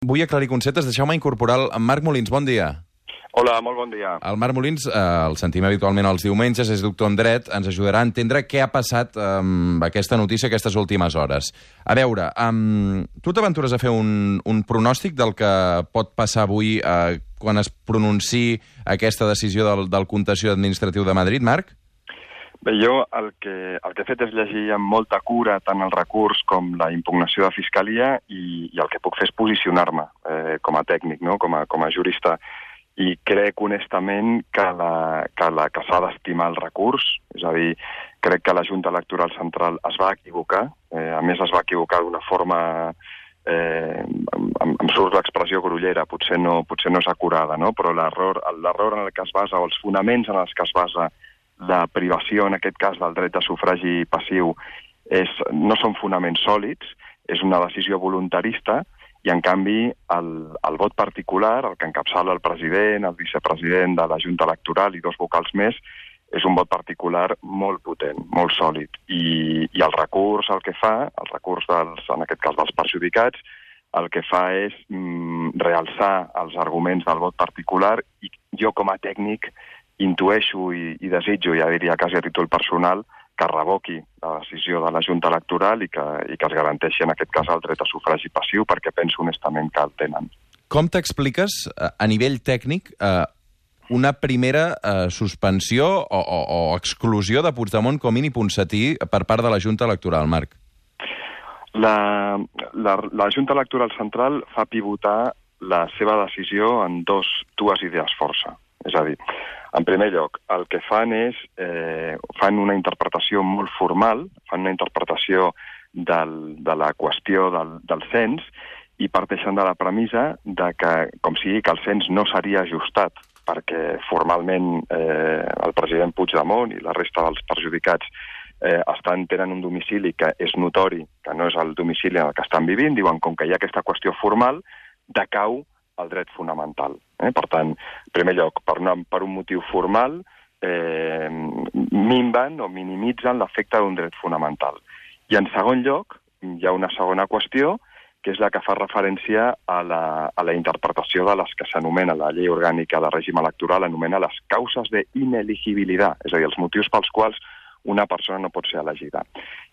Vull aclarir conceptes. Deixeu-me incorporar el Marc Molins. Bon dia. Hola, molt bon dia. El Marc Molins, el sentim habitualment els diumenges, és doctor en dret, ens ajudarà a entendre què ha passat amb aquesta notícia aquestes últimes hores. A veure, tu t'aventures a fer un pronòstic del que pot passar avui quan es pronunciï aquesta decisió del Contenciós Administratiu de Madrid, Marc? Bé, jo el que he fet és llegir amb molta cura tant el recurs com la impugnació de Fiscalia i el que puc fer és posicionar-me com a tècnic, no? com a jurista. I crec honestament que s'ha d'estimar el recurs, és a dir, crec que la Junta Electoral Central es va equivocar, a més es va equivocar d'una forma, em surt l'expressió grollera, potser no és acurada, no? Però l'error en el que es basa, o els fonaments en els que es basa la privació, en aquest cas, del dret de sufragi passiu, no són fonaments sòlids, és una decisió voluntarista, i, en canvi, el vot particular, el que encapçala el president, el vicepresident de la Junta Electoral i 2 vocals més, és un vot particular molt potent, molt sòlid. I el recurs el que fa, el recurs en aquest cas dels perjudicats, el que fa és realçar els arguments del vot particular i jo com a tècnic intueixo i desitjo, ja diria quasi a títol personal, que revoqui la decisió de la Junta Electoral i que es garanteixi en aquest cas el dret a sufragi passiu, perquè penso honestament que el tenen. Com t'expliques, a nivell tècnic, una primera suspensió o exclusió de Puigdemont, Comín i Ponsatí per part de la Junta Electoral, Marc? La Junta Electoral Central fa pivotar la seva decisió en dues idees força. És a dir, en primer lloc, el que fan és fan una interpretació molt formal, fan una interpretació de la qüestió del cens i parteixen de la premissa de que, com sigui, que el cens no seria ajustat perquè formalment el president Puigdemont i la resta dels perjudicats tenen un domicili que és notori, que no és el domicili en el que estan vivint, diuen, com que hi ha aquesta qüestió formal, decau el dret fonamental. Per tant, en primer lloc, per un motiu formal, minven o minimitzen l'efecte d'un dret fonamental. I en segon lloc, hi ha una segona qüestió, que és la que fa referència a la interpretació de les que s'anomena la llei orgànica de règim electoral, anomena les causes d'inelegibilitat, és a dir, els motius pels quals una persona no pot ser elegida.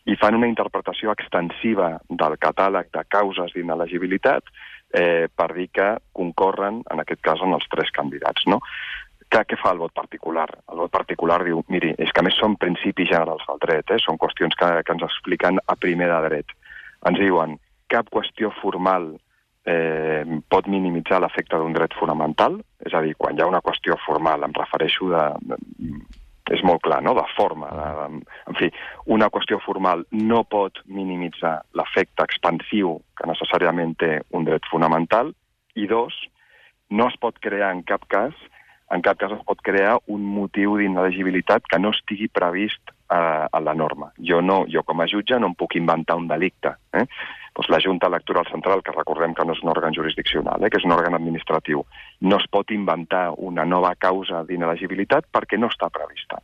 I fan una interpretació extensiva del catàleg de causes d'inelegibilitat per dir que concorren, en aquest cas, en els 3 candidats, no? Què fa el vot particular? El vot particular diu, miri, és que a més són principis generals del dret, són qüestions que ens expliquen a primer de dret. Ens diuen, cap qüestió formal pot minimitzar l'efecte d'un dret fonamental, és a dir, quan hi ha una qüestió formal, em refereixo és molt clar, no?, de forma. En fi, una qüestió formal no pot minimitzar l'efecte expansiu que necessàriament té un dret fonamental, i 2, no es pot crear en cap cas es pot crear un motiu d'inelegibilitat que no estigui previst a la norma. Jo com a jutge no em puc inventar un delicte. Doncs la Junta Electoral Central, que recordem que no és un òrgan jurisdiccional, que és un òrgan administratiu, no es pot inventar una nova causa d'inelegibilitat perquè no està prevista.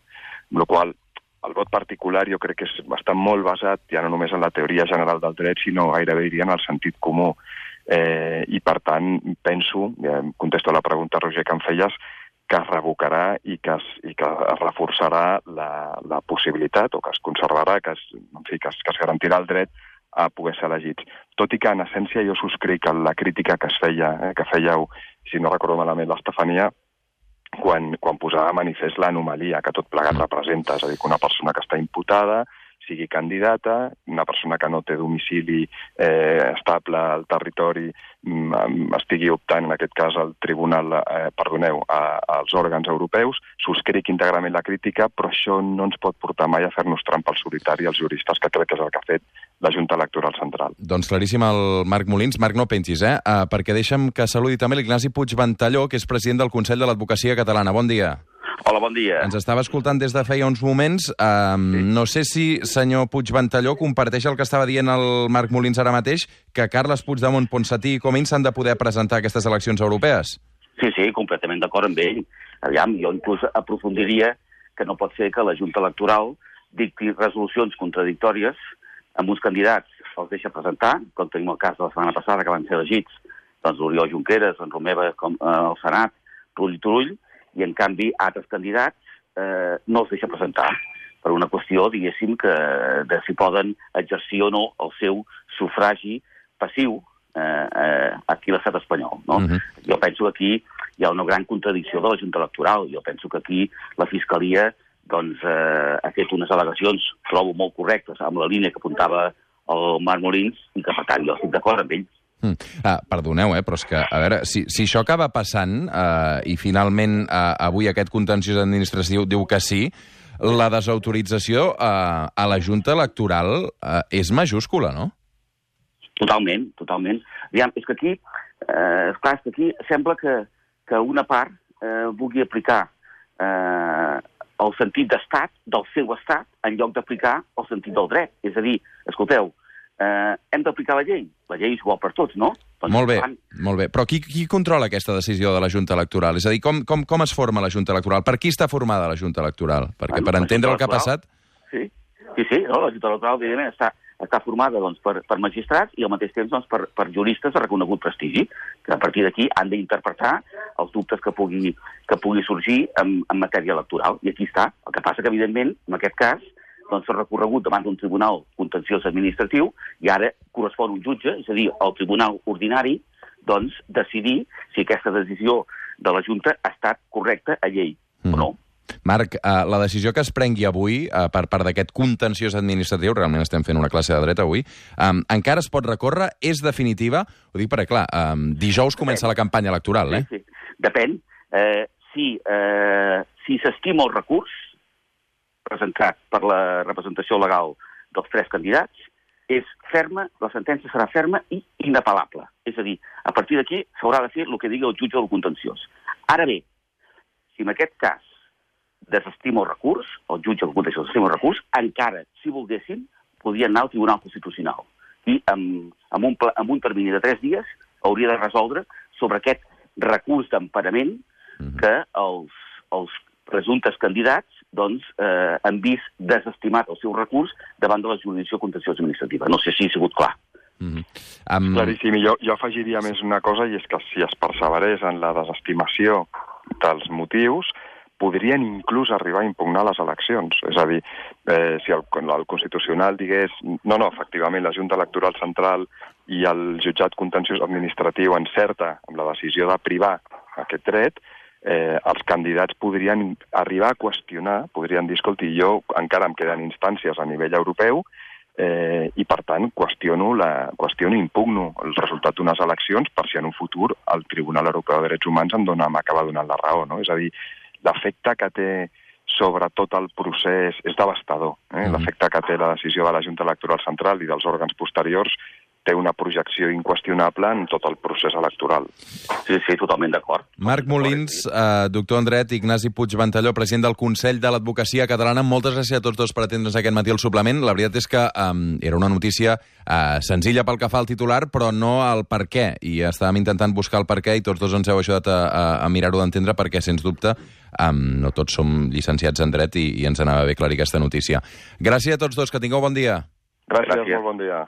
Amb la qual cosa, el vot particular jo crec que està molt basat ja no només en la teoria general del dret, sinó gairebé diria en el sentit comú. I per tant, penso, contesto a la pregunta, Roger, que em feies, que es revocarà i que es reforçarà la possibilitat, o que es conservarà, que es garantirà el dret a poder ser elegits. Tot i que, en essència, jo subscric la crítica que fèieu, si no recordo malament, l'Estefania, quan posava de manifest l'anomalia que tot plegat representa, és a dir, que una persona que està imputada sigui candidata, una persona que no té domicili estable al territori estigui optant, en aquest cas, al tribunal, als òrgans europeus. Subscric íntegrament la crítica, però això no ens pot portar mai a fer-nos trampa al solitari als juristes, que crec que és el que ha fet la Junta Electoral Central. Doncs claríssim el Marc Molins. Marc, no pengis, perquè deixa'm que saludi també l'Ignasi Puigventalló, que és president del Consell de l'Advocacia Catalana. Bon dia. Hola, bon dia. Ens estava escoltant des de feia uns moments. No sé si, senyor Puigventalló, comparteix el que estava dient el Marc Molins ara mateix, que Carles Puigdemont, Ponsatí i Comín s'han de poder presentar a aquestes eleccions europees. Sí, completament d'acord amb ell. Aviam, jo inclús aprofundiria que no pot ser que la Junta Electoral dicti resolucions contradictòries amb uns candidats, els deixa presentar, com tenim el cas de la setmana passada, que van ser elegits doncs l'Oriol Junqueras, en Romeva al Senat, Turull, i en canvi altres candidats no els deixa presentar per una qüestió, diguéssim, de si poden exercir o no el seu sufragi passiu aquí a l'estat espanyol, no? Jo penso que aquí hi ha una gran contradicció de la Junta Electoral. Jo penso que aquí la Fiscalia ha fet unes al·legacions, trobo molt correctes, amb la línia que apuntava el Marc Molins, i que, per tant, jo estic d'acord amb ell. Perdoneu, però és que, a veure, si això acaba passant i finalment avui aquest contenciós administratiu diu que sí, la desautorització a la Junta Electoral és majúscula, no? Totalment. Aviam, és que aquí sembla que una part vulgui aplicar el sentit d'estat, del seu estat, en lloc d'aplicar el sentit del dret. És a dir, escolteu, hem d'aplicar la llei. La llei és igual per tots, no? Doncs molt bé. Però qui controla aquesta decisió de la Junta Electoral? És a dir, com es forma la Junta Electoral? Per qui està formada la Junta Electoral? Perquè per entendre el que ha passat... Sí, no? La Junta Electoral, evidentment, està formada per magistrats i al mateix temps per juristes de reconegut prestigi, que a partir d'aquí han d'interpretar els dubtes que pugui sorgir en matèria electoral. I aquí està. El que passa que, evidentment, en aquest cas, s'ha recorregut davant d'un tribunal contenciós administratiu i ara correspon un jutge, és a dir, el tribunal ordinari, decidir si aquesta decisió de la Junta ha estat correcta a llei o no. Marc, la decisió que es prengui avui per part d'aquest contenciós administratiu, realment estem fent una classe de dret avui, encara es pot recórrer? És definitiva? Ho dic perquè, clar, dijous comença la campanya electoral, eh? Sí. Depèn. Si s'estima el recurs presentat per la representació legal dels 3 candidats, és ferma, la sentència serà ferma i inapel·lable. És a dir, a partir d'aquí s'haurà de fer el que digui el jutge del contenciós. Ara bé, si en aquest cas desestima el recurs, el jutge del contenciós desestima el recurs, encara, si volguessin, podrien anar al Tribunal Constitucional. I amb un termini de 3 dies hauria de resoldre sobre aquest recurs d'emparament que els presumptes candidats han vist desestimat el seu recurs davant de la jurisdicció contenciosa administrativa. No sé si ha sigut clar. Claríssim. Jo afegiria més una cosa, i és que si es perseverés en la desestimació dels motius, podrien inclús arribar a impugnar les eleccions. És a dir, si el Constitucional digués no, efectivament, la Junta Electoral Central i el jutjat contenciós administratiu encerta amb la decisió de privar aquest dret, els candidats podrien arribar a qüestionar, podrien dir, escolti, jo encara em queden instàncies a nivell europeu i, per tant, qüestiono i impugno el resultat d'unes eleccions per si en un futur el Tribunal Europeu de Drets Humans m'acaba donant la raó, no? És a dir, l'efecte que té sobre tot el procés és devastador. L'efecte que té la decisió de la Junta Electoral Central i dels òrgans posteriors té una projecció inqüestionable en tot el procés electoral. Sí, totalment d'acord. Marc Molins, doctor en dret, Ignasi Puig Ventalló, president del Consell de l'Advocacia Catalana. Moltes gràcies a tots dos per atendre's aquest matí al suplement. La veritat és que era una notícia senzilla pel que fa al titular, però no al per què. I estàvem intentant buscar el per què i tots dos ens heu ajudat a mirar-ho d'entendre perquè, sens dubte, no tots som llicenciats en dret i ens anava bé aclarir aquesta notícia. Gràcies a tots dos, que tingueu bon dia. Gràcies. Molt bon dia.